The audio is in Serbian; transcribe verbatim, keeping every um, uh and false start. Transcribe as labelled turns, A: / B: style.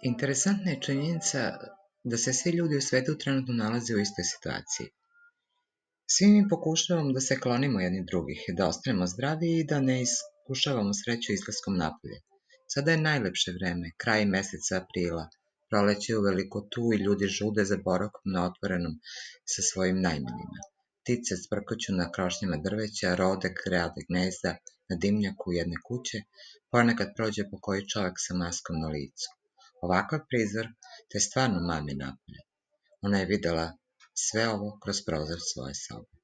A: Interesantna je činjenica da se svi ljudi u svetu trenutno nalaze u istoj situaciji. Svi mi pokušavamo da se klonimo jedni drugih, da ostanemo zdravi i da ne iskušavamo sreću izlaskom napolje. Sada je najlepše vreme, kraj meseca aprila, proleće je uveliko tu i ljudi žude za boravkom na otvorenom sa svojim najmilijima. Ptice cvrkoću na krošnjama drveća, rode grade gnezda na dimnjaku jedne kuće, ponekad prođe po koji čovek sa maskom na licu. Ovakav prizor te stvarno mami napolje. Ona je videla sve ovo kroz prozor svoje sobe.